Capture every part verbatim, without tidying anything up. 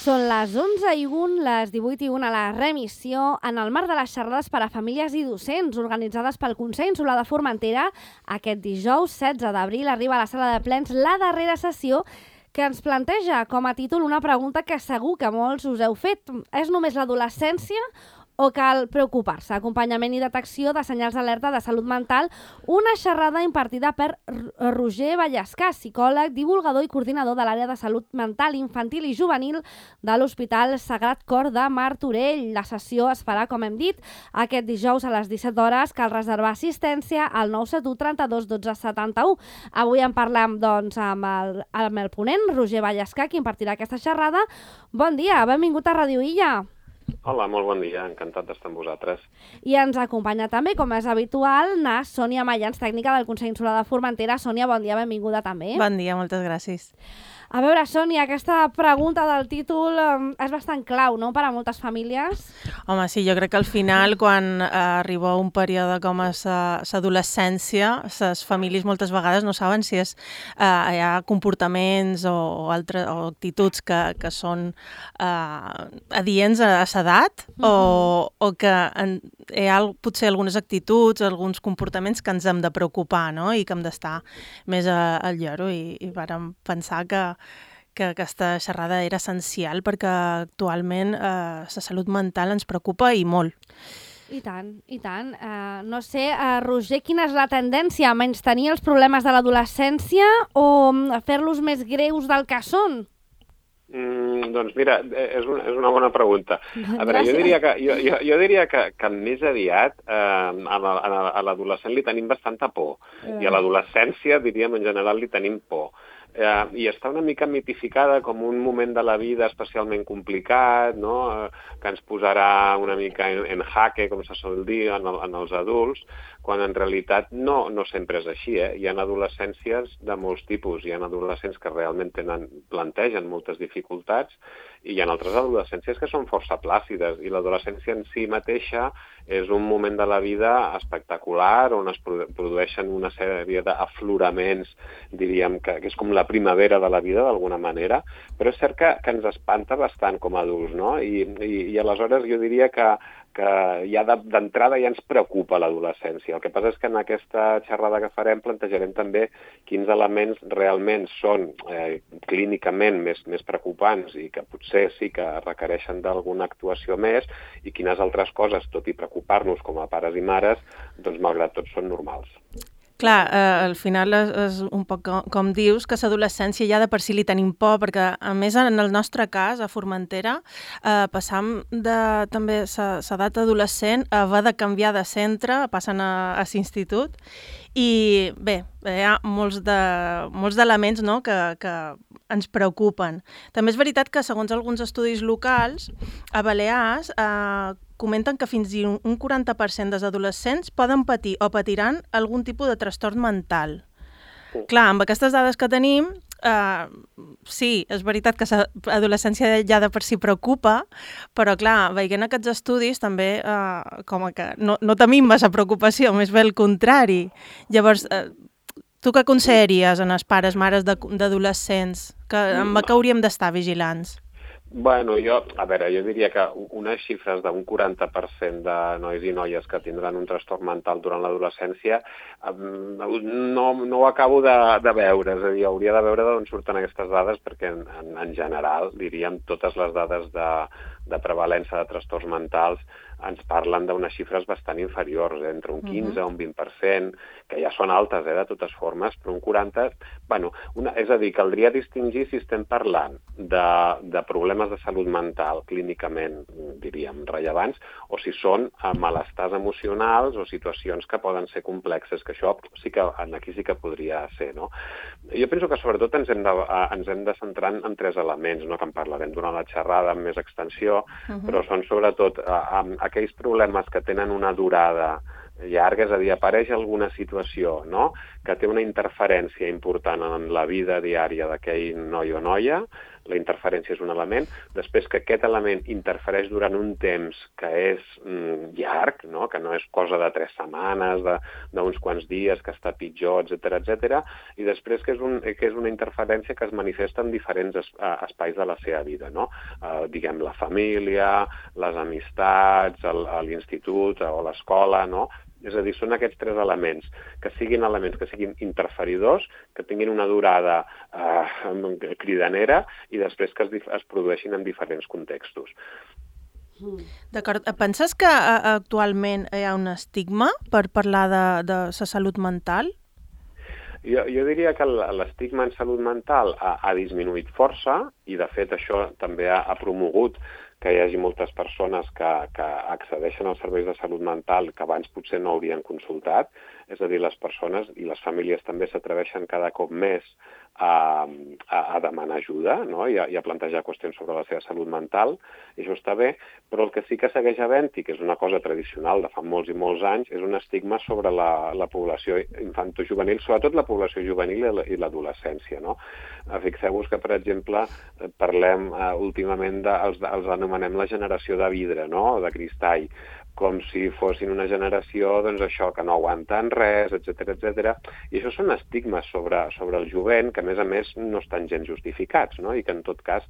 Són les onze i un, les divuit i un a la remissió, en el marc de les xerrades per a famílies i docents organitzades pel Consell Insular de Formentera. Aquest dijous, setze d'abril, arriba a la sala de plens la darrera sessió que ens planteja com a títol una pregunta que segur que molts us heu fet. És només l'adolescència o cal preocupar-se? Acompanyament i detecció de senyals d'alerta de salut mental, una xerrada impartida per Roger Vallescà, psicòleg, divulgador i coordinador de l'àrea de salut mental infantil i juvenil de l'Hospital Sagrat Cor de Martorell. La sessió es farà, com hem dit, aquest dijous a les disset hores. Cal reservar assistència al nou set u trenta-dos dotze setanta-u. Avui en parlam doncs, amb, el, amb el ponent, Roger Vallescà, qui impartirà aquesta xerrada. Bon dia, benvingut a Ràdio Illa. Hola, molt bon dia, encantat d'estar amb vosaltres. I ens acompanya també, com és habitual, na Sònia Mayans, tècnica del Consell Insular de Formentera. Sònia, bon dia, benvinguda també. Bon dia, moltes gràcies. A veure, Sònia, aquesta pregunta del títol eh, és bastant clau, no?, per a moltes famílies. Home, sí, jo crec que al final, quan eh, arriba un període com és l'adolescència, les famílies moltes vegades no saben si és, eh, hi ha comportaments o, o, altres, o actituds que, que són eh, adients a l'edat, uh-huh. o, o que en, hi ha potser algunes actituds, alguns comportaments que ens hem de preocupar, no?, i que hem d'estar més a, al lloro, i, i vàrem pensar que que aquesta xerrada era essencial perquè actualment eh, la salut mental ens preocupa i molt. I tant, i tant. Uh, no sé, uh, Roger, quina és la tendència? A menystenir els problemes de l'adolescència o a fer-los més greus del que són? Mm, doncs mira, és una, és una bona pregunta. A veure, jo diria que, jo, jo, jo diria que, que més aviat eh, a, la, a l'adolescent li tenim bastanta por mm. i a l'adolescència, diríem, en general li tenim por. Eh, i està una mica mitificada com un moment de la vida especialment complicat, no? eh, que ens posarà una mica en, en jaque, com se sol dir, en, el, en els adults, quan en realitat no, no sempre és així. Eh? Hi ha adolescències de molts tipus, hi ha adolescents que realment tenen, plantegen moltes dificultats i hi ha altres adolescències que són força plàcides, i l'adolescència en si mateixa és un moment de la vida espectacular on es produeixen una sèrie d'afloraments, diríem que, que és com la primavera de la vida d'alguna manera, però és cert que, que ens espanta bastant com a adults, no? I, i, i aleshores jo diria que, que ja d'entrada ja ens preocupa l'adolescència. El que passa és que en aquesta xerrada que farem plantejarem també quins elements realment són eh, clínicament més, més preocupants i que potser sí que requereixen d'alguna actuació més, i quines altres coses, tot i preocupar-nos com a pares i mares, doncs malgrat tot són normals. Clar, eh, al final és, és un poc com, com dius, que l'adolescència ja de per si li tenim por, perquè a més en el nostre cas, a Formentera, eh, passam de també l'edat adolescent a haver de canviar de centre, passen a, a l'institut, i bé, hi ha molts de molts d'elements, no?, que, que ens preocupen. També és veritat que segons alguns estudis locals, a Balears eh, comenten que fins i un quaranta per cent dels adolescents poden patir o patiran algun tipus de trastorn mental. Sí. Clar, amb aquestes dades que tenim, eh, sí, és veritat que l'adolescència ja de per si preocupa, però clar, veient aquests estudis també eh, com que no, no tenim massa preocupació, més bé el contrari. Llavors, eh, tu què aconsellaries en els pares, mares d'adolescents? Que, amb què hauríem d'estar vigilants? Bueno, jo, a veure, jo diria que unes xifres d'un quaranta per cent de nois i noies que tindran un trastorn mental durant l'adolescència no, no ho acabo de, de veure, és a dir, hauria de veure d'on surten aquestes dades, perquè en, en, en general, diríem, totes les dades de, de prevalença de trastorns mentals ens parlen d'unes xifres bastant inferiors, eh? Entre un quinze o un vint per cent, que ja són altes, eh, de totes formes, però un quaranta... Bueno, una, és a dir, caldria distingir si estem parlant de, de problemes de salut mental clínicament, diríem, rellevants, o si són malestars emocionals o situacions que poden ser complexes, que això sí que aquí sí que podria ser, no? Jo penso que sobretot ens hem de, ens hem de centrar en tres elements, no?, que en parlarem durant la xerrada amb més extensió, uh-huh. però són sobretot amb aquells problemes que tenen una durada llarga, és a dir, apareix alguna situació, no?, que té una interferència important en la vida diària d'aquell noi o noia, la interferència és un element, després que aquest element interfereix durant un temps que és mm, llarg, no? Que no és cosa de tres setmanes, d'uns quants dies, que està pitjor, etcètera, etcètera, i després que és, un, que és una interferència que es manifesta en diferents es, uh, espais de la seva vida, no? Uh, diguem, la família, les amistats, l'institut o l'escola, no? És a dir, són aquests tres elements, que siguin elements que siguin interferidors, que tinguin una durada eh, cridanera i després que es, es produeixin en diferents contextos. D'acord. Penses que actualment hi ha un estigma per parlar de, de la salut mental? Jo, jo diria que l'estigma en salut mental ha, ha disminuït força i, de fet, això també ha, ha promogut que hi hagi moltes persones que, que accedeixen als serveis de salut mental que abans potser no haurien consultat. És a dir, les persones i les famílies també s'atreveixen cada cop més a, a, a demanar ajuda, no? I, a, i a plantejar qüestions sobre la seva salut mental, i això està bé, però el que sí que segueix havent-hi, que és una cosa tradicional de fa molts i molts anys, és un estigma sobre la, la població infantojuvenil, sobretot la població juvenil i l'adolescència, no? Fixeu-vos que, per exemple, parlem uh, últimament, de, els, els anomenem la generació de vidre, no? De cristall, com si fossin una generació, doncs això, que no aguanten res, etcètera, etcètera. I això són estigmes sobre, sobre el jovent que, a més a més, no estan gens justificats, no? I que, en tot cas,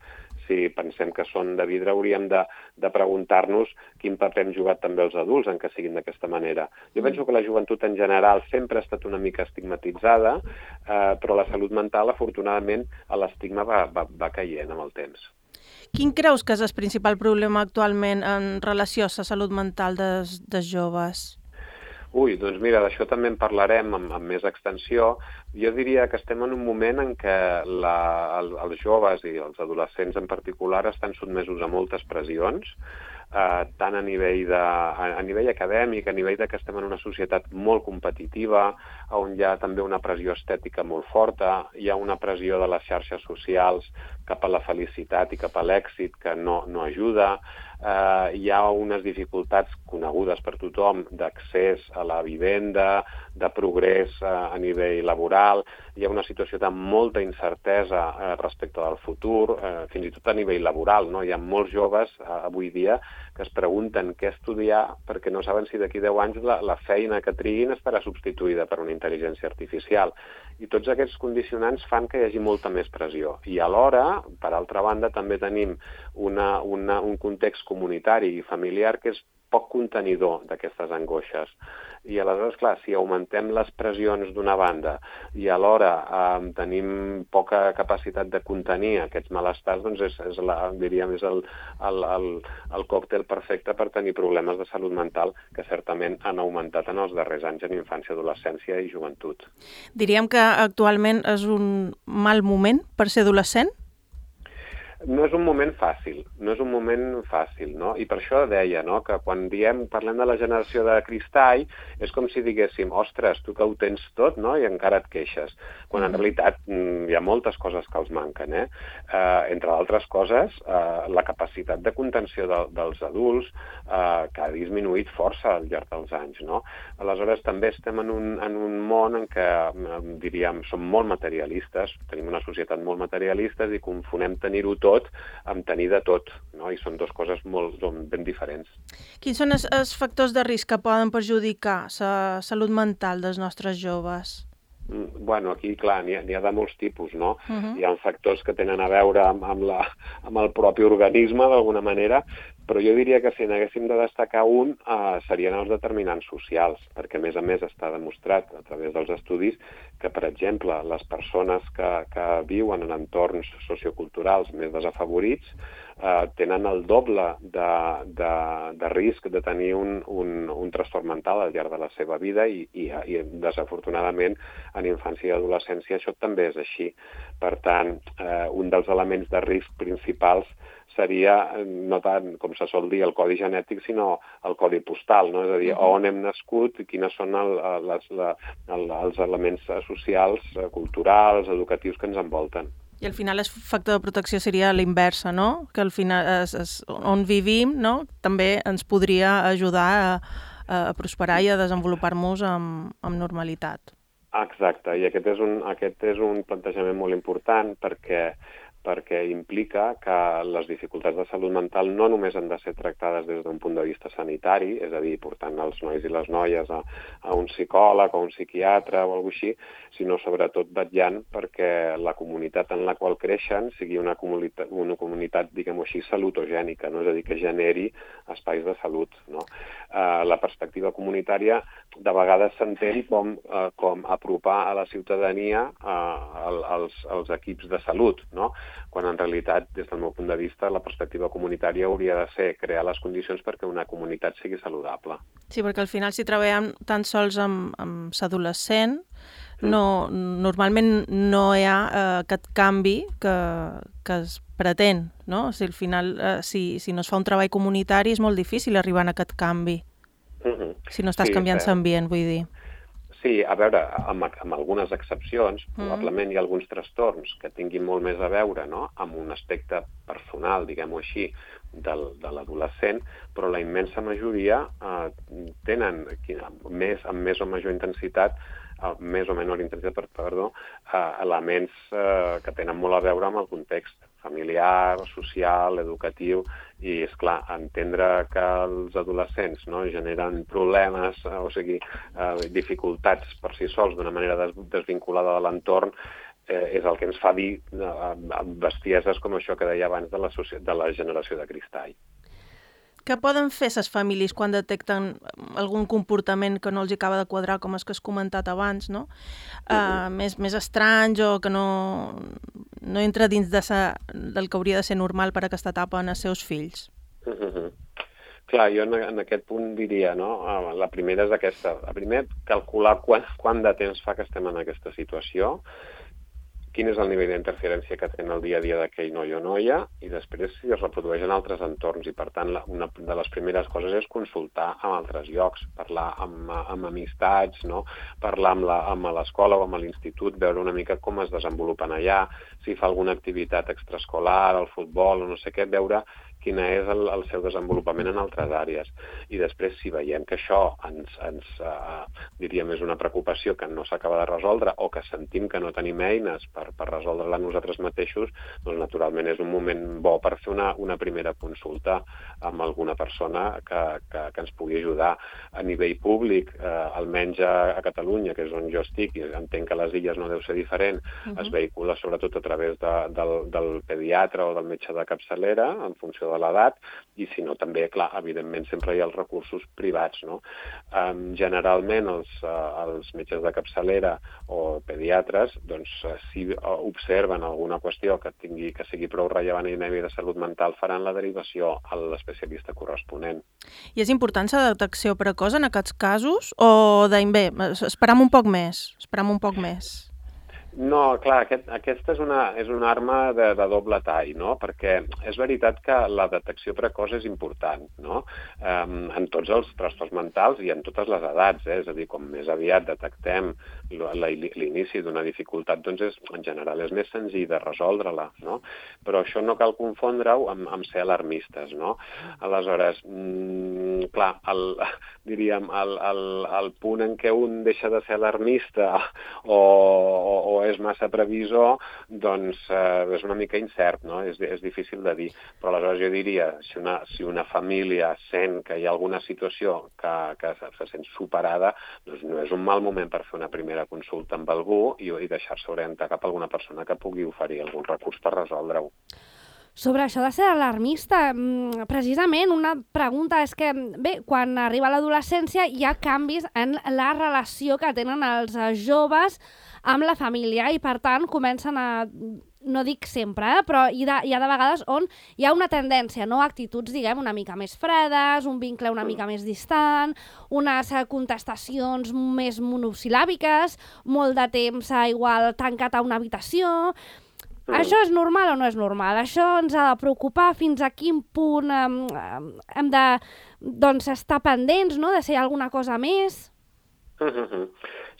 si pensem que són de vidre, hauríem de, de preguntar-nos quin paper hem jugat també els adults en que siguin d'aquesta manera. Jo penso que la joventut en general sempre ha estat una mica estigmatitzada, eh, però la salut mental, afortunadament, l'estigma va, va, va caient amb el temps. Quin creus que és el principal problema actualment en relació a la salut mental dels, dels joves? Ui, doncs mira, d'això també en parlarem amb, amb més extensió. Jo diria que estem en un moment en què la, el, els joves i els adolescents en particular estan sotmesos a moltes pressions, eh, tant a nivell, de, a, a nivell acadèmic, a nivell de que estem en una societat molt competitiva, on hi ha també una pressió estètica molt forta, hi ha una pressió de les xarxes socials cap a la felicitat i cap a l'èxit que no, no ajuda, eh, hi ha unes dificultats conegudes per tothom d'accés a la vivenda, de progrés eh, a nivell laboral, hi ha una situació de molta incertesa eh, respecte del futur, eh, fins i tot a nivell laboral, no? Hi ha molts joves eh, avui dia que es pregunten què estudiar perquè no saben si d'aquí deu anys la, la feina que triguin estarà substituïda per una intel·ligència artificial. I tots aquests condicionants fan que hi hagi molta més pressió. I alhora, per altra banda, també tenim una, una, un context comunitari i familiar que és poc contenidor d'aquestes angoixes. I aleshores, clar, si augmentem les pressions d'una banda i alhora eh, tenim poca capacitat de contenir aquests malestars, doncs és, és, la, diríem, és el, el, el, el còctel perfecte per tenir problemes de salut mental que certament han augmentat en els darrers anys en infància, adolescència i joventut. Diríem que actualment és un mal moment per ser adolescent? No és un moment fàcil, no és un moment fàcil, no? I per això deia, no?, que quan diem, parlem de la generació de cristall, és com si diguéssim, ostres, tu que ho tens tot, no?, i encara et queixes. Quan en realitat hi ha moltes coses que els manquen, eh? eh entre altres coses, eh, la capacitat de contenció de, dels adults, eh, que ha disminuït força al llarg dels anys, no? Aleshores, també estem en un, en un món en què, diríem, som molt materialistes, tenim una societat molt materialista i confonem tenir-ho tot tot amb tenir de tot, no? I són dues coses molt ben diferents. Quins són els, els factors de risc que poden perjudicar la salut mental dels nostres joves? Bueno, aquí, clar, n'hi ha, n'hi ha de molts tipus, no? Uh-huh. Hi ha factors que tenen a veure amb, amb, la, amb el propi organisme, d'alguna manera, però jo diria que si n'haguéssim de destacar un, eh, serien els determinants socials, perquè, a més a més, està demostrat a través dels estudis que, per exemple, les persones que, que viuen en entorns socioculturals més desafavorits eh, tenen el doble de, de, de risc de tenir un, un, un trastorn mental al llarg de la seva vida i, i, i desafortunadament, en infància i adolescència això també és així. Per tant, eh, un dels elements de risc principals seria no tant, com se sol dir, el codi genètic, sinó el codi postal, no? És a dir, on hem nascut i quines són el, les, la, el, els elements socials, culturals, educatius que ens envolten. I al final el factor de protecció seria l'inversa, no? Que al final és, és on vivim, no? També ens podria ajudar a, a prosperar i a desenvolupar-nos amb, amb normalitat. Exacte, i aquest és un, aquest és un plantejament molt important perquè perquè implica que les dificultats de salut mental no només han de ser tractades des d'un punt de vista sanitari, és a dir, portant els nois i les noies a, a un psicòleg o un psiquiatre o alguna així, sinó sobretot vetllant perquè la comunitat en la qual creixen sigui una comunitat, una comunitat diguem-ho així, salutogènica, no? És a dir, que generi espais de salut. No? Uh, la perspectiva comunitària de vegades s'entén com, uh, com apropar a la ciutadania uh, als, als equips de salut, no? Quan en realitat, des del meu punt de vista, la perspectiva comunitària hauria de ser crear les condicions perquè una comunitat sigui saludable. Sí, perquè al final si treballem tan sols amb, amb l'adolescent, no, normalment no hi ha eh, aquest canvi que, que es pretén, no? Si al final, eh, si, si no es fa un treball comunitari, és molt difícil arribar a aquest canvi, Uh-huh. si no estàs Sí, canviant cert. l'ambient, vull dir. Sí, a veure, amb, amb algunes excepcions, Mm. probablement hi ha alguns trastorns que tinguin molt més a veure, no?, amb un aspecte personal, diguem-ho així, del, de l'adolescent, però la immensa majoria eh, tenen més, amb més o major intensitat, eh, més o menor intensitat, perdó, eh, elements eh, que tenen molt a veure amb el context familiar, social, educatiu, i, és clar, entendre que els adolescents no, generen problemes, eh, o sigui, eh, dificultats per si sols d'una manera des desvinculada de l'entorn, eh, és el que ens fa dir eh, bestieses com això que deia abans de la, de la generació de cristall. Què poden fer les famílies quan detecten algun comportament que no els acaba de quadrar, com és que has comentat abans, no? Uh, més, més estranys o que no, no entra dins de sa, del que hauria de ser normal per a aquesta etapa en els seus fills? Uh -huh. Clar, jo en, en aquest punt diria, no? La primera és aquesta. La primera, calcular quan, quant de temps fa que estem en aquesta situació, quin és el nivell d'interferència que té en el dia a dia d'aquell noi o noia, i després si es reprodueix en altres entorns. I, per tant, la, una de les primeres coses és consultar amb altres llocs, parlar amb, amb amistats, no? Parlar amb, la, amb l'escola o amb l'institut, veure una mica com es desenvolupen allà, si fa alguna activitat extraescolar, el futbol o no sé què, veure quina és el, el seu desenvolupament en altres àrees. I després, si veiem que això ens, ens uh, diríem, és una preocupació que no s'acaba de resoldre o que sentim que no tenim eines per, per resoldre-la nosaltres mateixos, doncs naturalment és un moment bo per fer una, una primera consulta amb alguna persona que, que, que ens pugui ajudar. A nivell públic, eh, almenys a, a Catalunya, que és on jo estic, i entenc que a les illes no deu ser diferent, uh-huh. es vehicula sobretot a través de, del, del pediatre o del metge de capçalera, en funció de l'edat, i si no també, clar, evidentment sempre hi ha els recursos privats, no? Um, generalment els, uh, els metges de capçalera o pediatres, doncs, uh, si observen alguna qüestió que tingui que sigui prou rellevant a nivell de salut mental, faran la derivació a l'especialista corresponent. I és important la detecció precoç en aquests casos? O deim, bé, esperam un poc més, esperam un poc més? No, clar, aquest, aquesta és una, és una arma de, de doble tall, no? Perquè és veritat que la detecció precoç és important, no? Um, en tots els trastorns mentals i en totes les edats, eh? És a dir, com més aviat detectem l'inici d'una dificultat, doncs és, en general és més senzill de resoldre-la, no? Però això no cal confondre-ho amb, amb ser alarmistes, no? Aleshores, mm, clar, el, diríem, el, el, el punt en què un deixa de ser alarmista o, o, o és massa previsor, doncs eh, és una mica incert, no? És, és difícil de dir. Però aleshores jo diria, si una, si una família sent que hi ha alguna situació que, que se, se sent superada, doncs no és un mal moment per fer una primera consulta amb algú i, i deixar-se orientar cap a alguna persona que pugui oferir algun recurs per resoldre-ho. Sobre això de ser alarmista, precisament una pregunta és que, bé, quan arriba l'adolescència hi ha canvis en la relació que tenen els joves amb la família i, per tant, comencen a, no dic sempre, eh, però hi, de, hi ha de vegades on hi ha una tendència, no? Actituds, diguem, una mica més fredes, un vincle una mica més distant, unes contestacions més monosil·làbiques, molt de temps igual tancat a una habitació. Mm. Això és normal o no és normal? Això ens ha de preocupar fins a quin punt um, hem de doncs, estar pendents, no? De si hi ha alguna cosa més? Mm-hmm.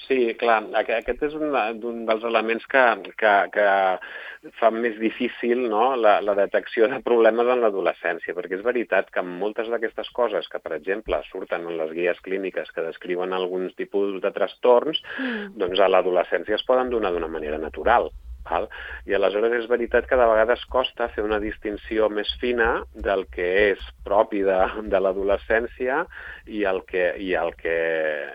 Sí, clar, aquest és un, un dels elements que, que, que fa més difícil, no?, la, la detecció de problemes en l'adolescència, perquè és veritat que moltes d'aquestes coses que, per exemple, surten en les guies clíniques que descriuen alguns tipus de trastorns, mm. doncs a l'adolescència es poden donar d'una manera natural. Val? I aleshores és veritat que de vegades costa fer una distinció més fina del que és propi de, de l'adolescència i el que, i el que,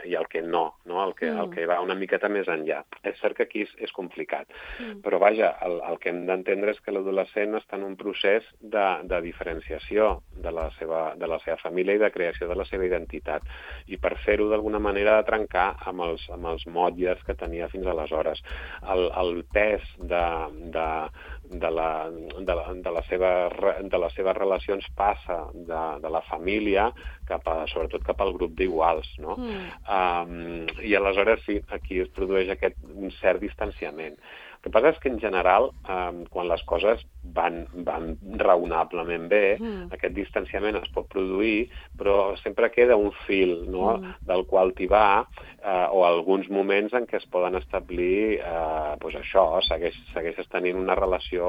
i el que no, no? El, que, mm. el que va una miqueta més enllà. És cert que aquí és, és complicat, mm. però vaja, el, el que hem d'entendre és que l'adolescent està en un procés de, de diferenciació de la, seva, de la seva família i de creació de la seva identitat. I per fer-ho d'alguna manera de trencar amb els, amb els motlles que tenia fins aleshores. El, el pes de, de, de, la, de, la, de, la seva, de les seves relacions passa de, de la família cap a, sobretot cap al grup d'iguals, no? Mm. Um, I aleshores sí, aquí es produeix aquest un cert distanciament. El que passa és que, en general, eh, quan les coses van, van raonablement bé, mm. aquest distanciament es pot produir, però sempre queda un fil, no?, mm. del qual tibar, eh, o alguns moments en què es poden establir, eh, doncs això, segueix, segueixes tenint una relació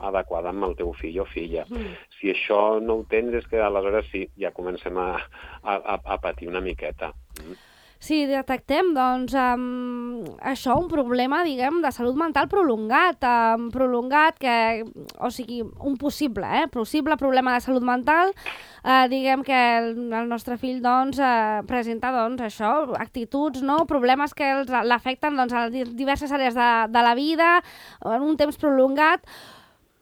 adequada amb el teu fill o filla. Mm. Si això no ho tens, és que aleshores sí, ja comencem a, a, a patir una miqueta. Mm. Sí, detectem, doncs, um, això, un problema, diguem, de salut mental prolongat, um, prolongat, que, o sigui, un possible, eh, possible problema de salut mental, uh, diguem que el, el nostre fill, doncs, uh, presenta, doncs, això, actituds, no?, problemes que l'afecten, doncs, a diverses àrees de, de la vida, en un temps prolongat.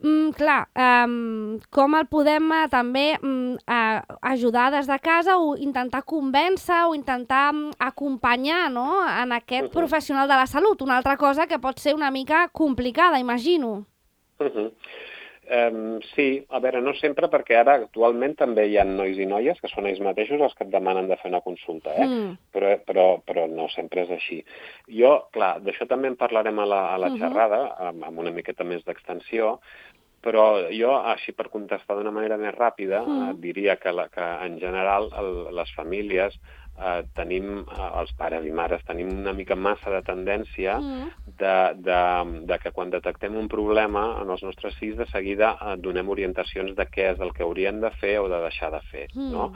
Mm, clar, um, com el podem uh, també um, uh, ajudar des de casa o intentar convèncer o intentar um, acompanyar, no?, en aquest uh-huh. professional de la salut, una altra cosa que pot ser una mica complicada, imagino. Uh-huh. Um, sí, a veure, no sempre, perquè ara actualment també hi ha nois i noies que són ells mateixos els que et demanen de fer una consulta, eh? Mm. Però, però, però no sempre és així. Jo, clar, d'això també en parlarem a la, a la uh-huh. xerrada, amb, amb una miqueta més d'extensió, però jo, així per contestar d'una manera més ràpida, mm. eh, diria que, la, que en general el, les famílies eh, tenim, eh, els pares i mares, tenim una mica massa de tendència mm. de, de, de que quan detectem un problema en els nostres fills de seguida eh, donem orientacions de què és el que haurien de fer o de deixar de fer, mm. no?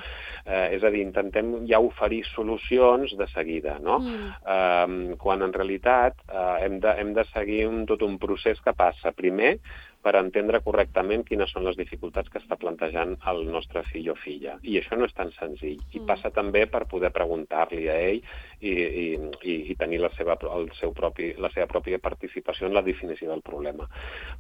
Eh, és a dir, intentem ja oferir solucions de seguida, no? Mm. Eh, quan en realitat eh, hem, de, hem de seguir un, tot un procés que passa primer per entendre correctament quines són les dificultats que està plantejant el nostre fill o filla. I això no és tan senzill. I mm. passa també per poder preguntar-li a ell i, i, i, i tenir la seva, el seu propi, la seva pròpia participació en la definició del problema.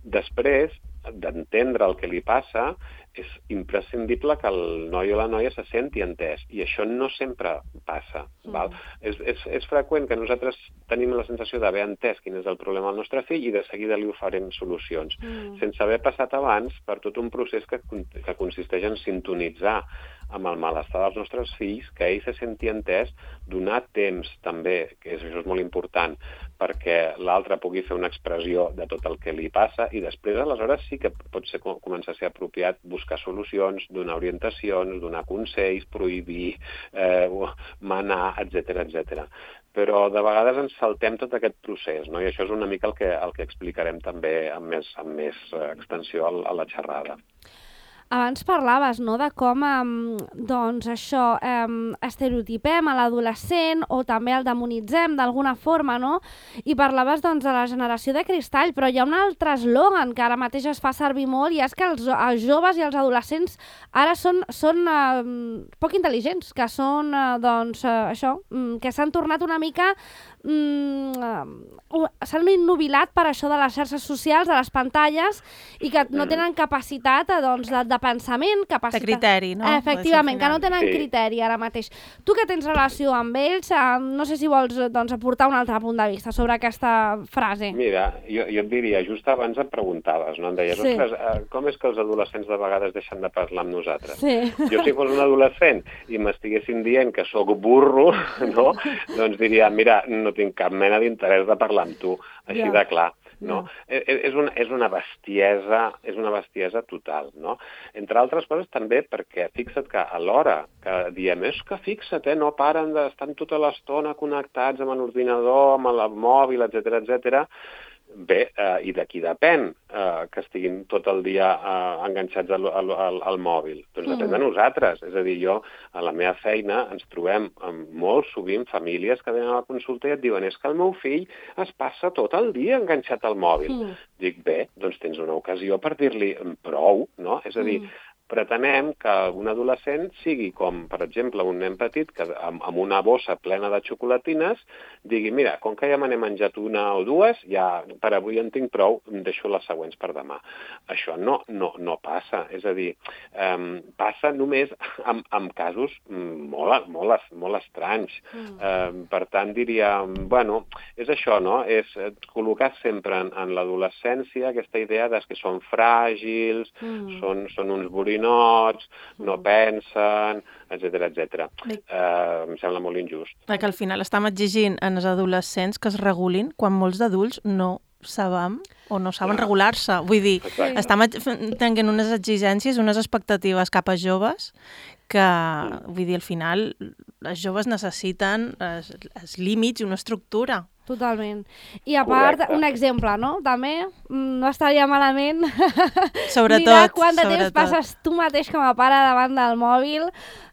Després d'entendre el que li passa, és imprescindible que el noi o la noia se senti entès, i això no sempre passa. Mm. Val? És, és, és freqüent que nosaltres tenim la sensació d'haver entès quin és el problema del nostre fill i de seguida li oferim solucions, mm. sense haver passat abans per tot un procés que, que consisteix en sintonitzar amb el malestar dels nostres fills, que ell se senti entès, donar temps també, que és, això és molt important, perquè l'altre pugui fer una expressió de tot el que li passa, i després, aleshores, sí que pot ser, començar a ser apropiat buscar solucions, donar orientacions, donar consells, prohibir, eh, manar, etcètera, etcètera. Però de vegades ens saltem tot aquest procés, no? I això és una mica el que, el que explicarem també amb més, amb més extensió a la xerrada. Abans parlaves, no?, de com um, doncs això, um, estereotipem a l'adolescent o també el demonitzem d'alguna forma, no? I parlaves, doncs, de la generació de cristall, però hi ha un altre eslògan que ara mateix es fa servir molt, i és que els, els joves i els adolescents ara són, són uh, poc intel·ligents, que són, uh, doncs, uh, això, um, que s'han tornat una mica... Um, uh, s'han innubilat per això de les xarxes socials, de les pantalles, i que no tenen capacitat, doncs, de, de pensament, capacitat... De criteri, no? Efectivament, que no tenen sí. criteri ara mateix. Tu que tens relació amb ells, eh, no sé si vols, doncs, aportar un altre punt de vista sobre aquesta frase. Mira, jo, jo et diria, just abans em preguntaves, no? Em deies, sí. ostres, eh, com és que els adolescents de vegades deixen de parlar amb nosaltres? Sí. Jo, si fos un adolescent i m'estiguessin dient que sóc burro, no? Doncs diria, mira, no tinc cap mena d'interès de parlar amb tu, així ja. de clar. No? Ja. És, una, és una bestiesa, és una bestiesa total, no? Entre altres coses també perquè fixa't que a l'hora que diem és que fixa't, eh, no paren d'estar tota l'estona connectats amb l'ordinador, amb el mòbil, etcètera, etcètera, Bé, eh, i d'aquí depèn eh, que estiguin tot el dia eh, enganxats al, al, al, al mòbil. Doncs depèn de nosaltres. És a dir, jo, a la meva feina, ens trobem amb molt sovint famílies que venen a la consulta i et diuen és que el meu fill es passa tot el dia enganxat al mòbil. Mm. Dic, bé, doncs tens una ocasió per dir-li prou, no? És a dir, mm. pretenem que un adolescent sigui com, per exemple, un nen petit que amb, amb una bossa plena de xocolatines digui, mira, com que ja me n'he menjat una o dues, ja per avui en tinc prou, em deixo les següents per demà. Això no, no, no passa. És a dir, um, passa només en, en casos molt, molt, molt estranys. Mm. Um, per tant, diria, bueno, és això, no? És col·locar sempre en, en l'adolescència aquesta idea de que són fràgils, mm. són, són uns borinots, nots, no pensen, etcètera, etcètera. Uh, em sembla molt injust. Que al final estem exigint en els adolescents que es regulin quan molts d'adults no sabem o no saben regular-se. Vull dir, sí. estem tenint unes exigències, unes expectatives cap a joves que, vull dir, al final els joves necessiten els, els límits i una estructura. Totalment. I a part, correcte. Un exemple, no? També no estaria malament sobretot, mirar quant de sobretot. temps passes tu mateix com a pare davant del mòbil.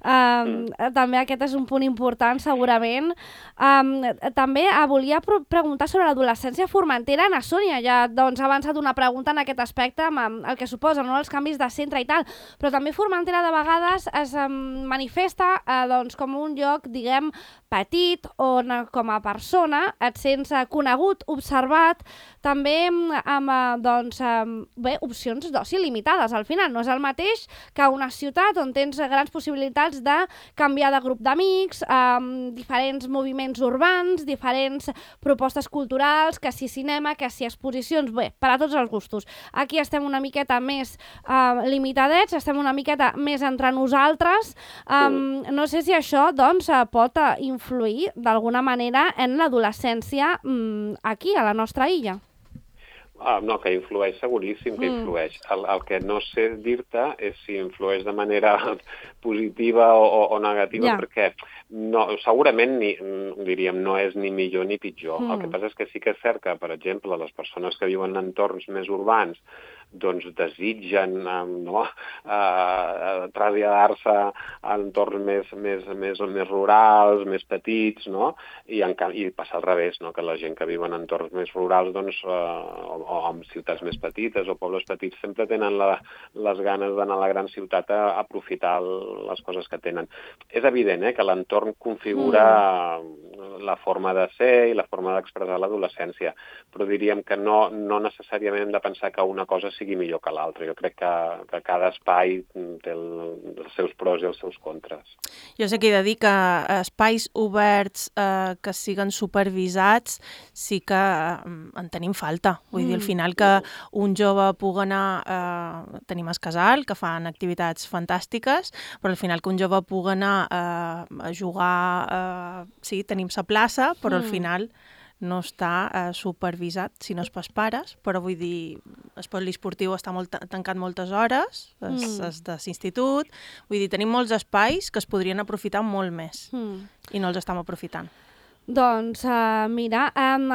Um, mm. També aquest és un punt important, segurament. Um, també uh, volia pre preguntar sobre l'adolescència formentera. Na Sònia ja doncs, ha avançat una pregunta en aquest aspecte, amb el que suposa, no? Els canvis de centre i tal, però també Formentera de vegades es um, manifesta uh, doncs, com un lloc, diguem, petit, on com a persona et sents uh, conegut, observat, també amb uh, doncs, um, bé, opcions d'oci limitades. Al final no és el mateix que una ciutat on tens grans possibilitats de canviar de grup d'amics, um, diferents moviments urbans, diferents propostes culturals, que si cinema, que si exposicions, bé, per a tots els gustos. Aquí estem una miqueta més uh, limitadets, estem una miqueta més entre nosaltres. Um, no sé si això doncs, pot uh, influir d'alguna manera en l'adolescència um, aquí, a la nostra illa. Ah, no, que influeix seguríssim que influeix. Mm. El, el que no sé dir-te és si influeix de manera positiva o, o negativa, yeah. perquè no, segurament ni, diríem, no és ni millor ni pitjor. Mm. El que passa és que sí que és cert que, per exemple, les persones que viuen en entorns més urbans doncs desitgen no, uh, traslladar-se a entorns més, més, més, més rurals, més petits, no? I, en, i passa al revés, no? Que la gent que viu en entorns més rurals doncs, uh, o, o en ciutats més petites o pobles petits sempre tenen la, les ganes d'anar a la gran ciutat a, a aprofitar el, les coses que tenen. És evident eh, que l'entorn configura mm. la forma de ser i la forma d'expressar l'adolescència, però diríem que no, no necessàriament hem de pensar que una cosa sigui millor que l'altra. Jo crec que, que cada espai té el, els seus pros i els seus contres. Jo sé que he de dir que espais oberts eh, que siguen supervisats sí que eh, en tenim falta. Vull mm. dir, al final que un jove pugui anar... Eh, tenim el casal, que fan activitats fantàstiques, però al final que un jove pugui anar eh, a jugar... Eh, sí, tenim la plaça, però mm. al final... no està eh, supervisat, si no és pels pares, però vull dir, el poliesportiu està molt tancat moltes hores, és, mm. és de l'institut, vull dir, tenim molts espais que es podrien aprofitar molt més mm. i no els estem aprofitant. Doncs, uh, mira, um,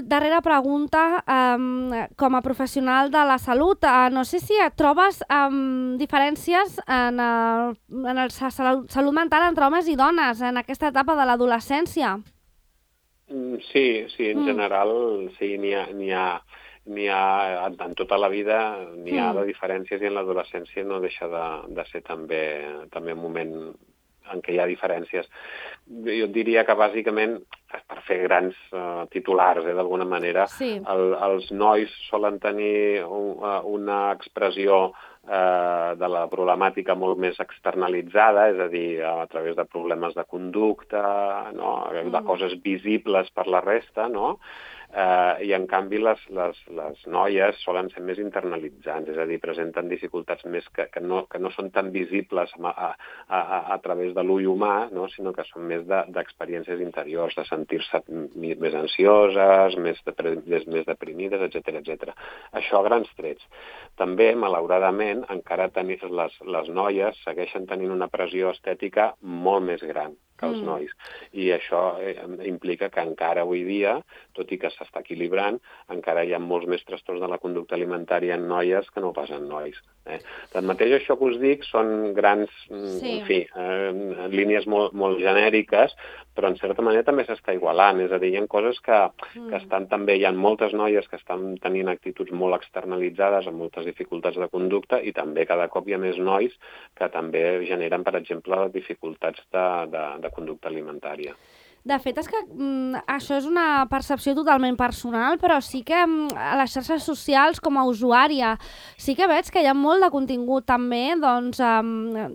darrera pregunta, um, com a professional de la salut, uh, no sé si et trobes um, diferències en el, en el salut, salut mental entre homes i dones en aquesta etapa de l'adolescència? Sí, sí, en mm. general sí, n'hi ha, n'hi ha, n'hi ha, en tota la vida n'hi ha mm. de diferències i en l'adolescència no deixa de, de ser també, també un moment en què hi ha diferències. Jo diria que bàsicament, per fer grans uh, titulars, eh, d'alguna manera, sí. el, els nois solen tenir un, uh, una expressió eh, de la problemàtica molt més externalitzada, és a dir, a través de problemes de conducta, no? Mm. de coses visibles per la resta, no? Eh, i en canvi les, les, les noies solen ser més internalitzants, és a dir, presenten dificultats més que, que, no, que no són tan visibles a, a, a, a través de l'ull humà, no? Sinó que són més d'experiències de, interiors, de sentir-se més ansioses, més, de, més, més deprimides, etcètera, etcètera. Això a grans trets. També, malauradament, encara tenir, les, les noies segueixen tenint una pressió estètica molt més gran. que els nois. I això eh, implica que encara avui dia, tot i que s'està equilibrant, encara hi ha molts més trastorns de la conducta alimentària en noies que no pas en nois. Eh? Tanmateix, això que us dic són grans, sí. en fi, eh, línies molt, molt genèriques, però en certa manera també s'està igualant, és a dir, hi ha coses que, mm. que estan també, hi ha moltes noies que estan tenint actituds molt externalitzades amb moltes dificultats de conducta i també cada cop hi ha més nois que també generen, per exemple, dificultats de, de, de conducta alimentària. De fet, és que mm, això és una percepció totalment personal, però sí que mm, a les xarxes socials, com a usuària, sí que veig que hi ha molt de contingut també, doncs, um,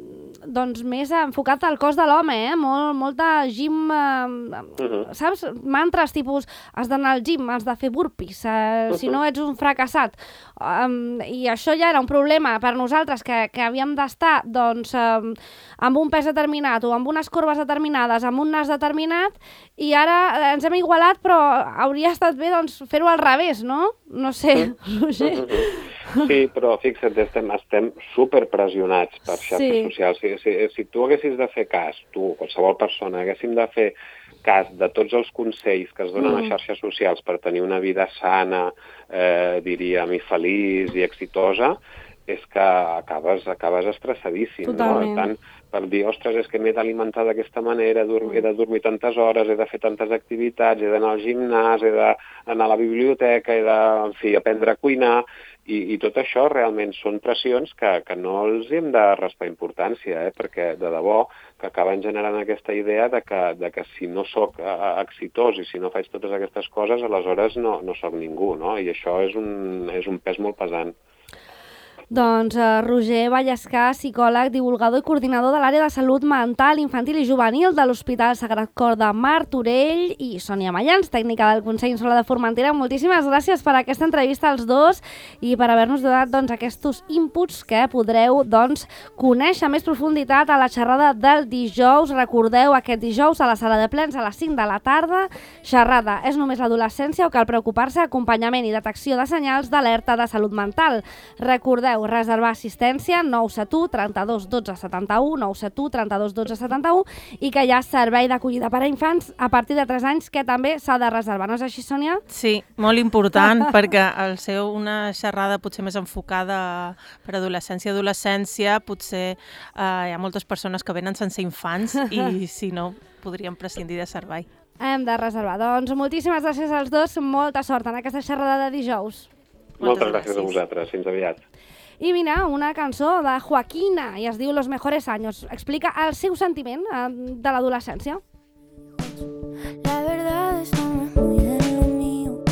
doncs més enfocat al cos de l'home, eh? Molt, molt de gym, um, uh-huh. saps? Mantres tipus, has d'anar al gym, has de fer burpees, uh, uh-huh. si no ets un fracassat. Um, I això ja era un problema per nosaltres, que, que havíem d'estar, doncs, um, amb un pes determinat o amb unes corbes determinades, amb un nas determinat, i ara ens hem igualat, però hauria estat bé doncs, fer-ho al revés, no? No sé, Roger. Sí, però fixa't, estem, estem superpressionats per xarxes sí. socials. Si, si, si tu haguessis de fer cas, tu, qualsevol persona, haguéssim de fer cas de tots els consells que es donen mm. a xarxes socials per tenir una vida sana, eh, diríem, i feliç i exitosa, és que acabes, acabes estressadíssim. Totalment. No? Tant per dir, ostres, és que m'he d'alimentar d'aquesta manera, he de dormir tantes hores, he de fer tantes activitats, he d'anar al gimnàs, he d'anar a la biblioteca, he de, en fi, aprendre a cuinar, i, i tot això realment són pressions que, que no els hem de restar importància, eh? Perquè de debò que acaben generant aquesta idea de que, de que si no sóc exitós i si no faig totes aquestes coses, aleshores no, no sóc ningú, no? I això és un, és un pes molt pesant. Doncs uh, Roger Vallescà, psicòleg, divulgador i coordinador de l'àrea de salut mental, infantil i juvenil de l'Hospital Sagrat Cor de Martorell, i Sònia Mayans, tècnica del Consell Insular de Formentera. Moltíssimes gràcies per aquesta entrevista als dos i per haver-nos donat doncs, aquests inputs que podreu doncs, conèixer més profunditat a la xerrada del dijous. Recordeu, aquest dijous a la sala de plens a les cinc de la tarda. Xerrada, és només l'adolescència o cal preocupar-se? Acompanyament i detecció de senyals d'alerta de salut mental. Recordeu, reservar assistència nou set u, trenta-dos, dotze, setanta-u, nou set u, trenta-dos, dotze, setanta-u, i que hi ha servei d'acollida per a infants a partir de tres anys que també s'ha de reservar. No és així, Sònia? Sí, molt important, perquè al ser una xerrada potser més enfocada per adolescència i adolescència, potser eh, hi ha moltes persones que venen sense infants i si no, podríem prescindir de servei. Hem de reservar. Doncs moltíssimes gràcies als dos, molta sort en aquesta xerrada de dijous. Moltes, Moltes gràcies, gràcies a vosaltres, fins aviat. I mira, una cançó de Joaquina, i es diu Los Mejores Años. Explica el seu sentiment eh, de l'adolescència. La verdad es no es muy de lo mío.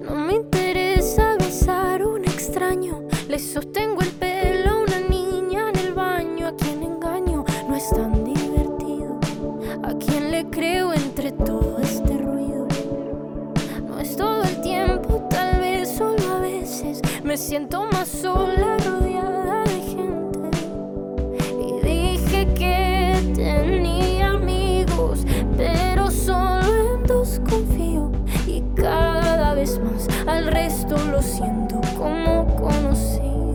No me interesa besar a un extraño. Le sostengo el pelo a una niña en el baño. A quien engaño no es tan divertido. A quien le creo entre todo este ruido. No es todo el tiempo, tal vez solo a veces. Me siento más sola rodeada de gente. Y dije que tenía amigos, pero solo en dos confío. Y cada vez más al resto lo siento como conocido.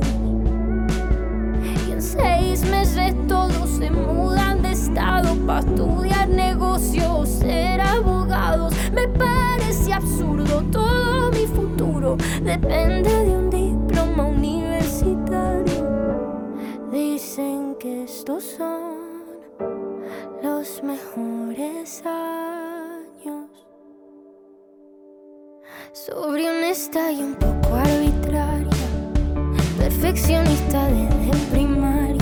Y en seis meses todos se mudan de estado para estudiar negocios, ser abogados. Me parece absurdo, todo mi futuro depende de un diploma universitario. Dicen que estos son los mejores años. Sobre honesta y un poco arbitraria, perfeccionista desde primaria.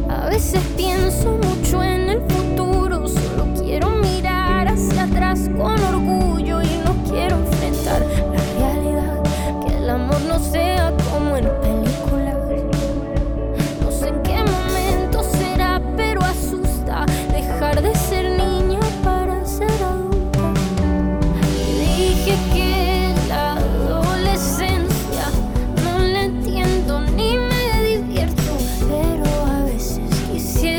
A veces pienso mucho en el futuro, solo quiero mirar hacia atrás con orgullo y no quiero enfrentar la realidad, que el amor no sea como en películas. No sé en qué momento será, pero asusta dejar de ser niña para ser adulta. Y dije que la adolescencia no la entiendo ni me divierto, pero a veces quisiera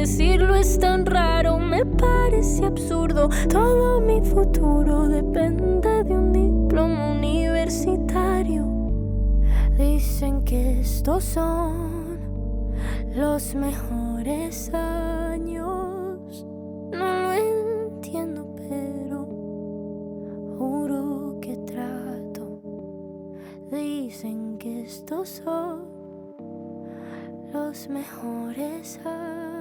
decirlo es tan raro, me parece absurdo. Todo mi futuro depende de un diploma universitario. Dicen que estos son los mejores años. No lo entiendo, pero juro que trato. Dicen que estos son los mejores años.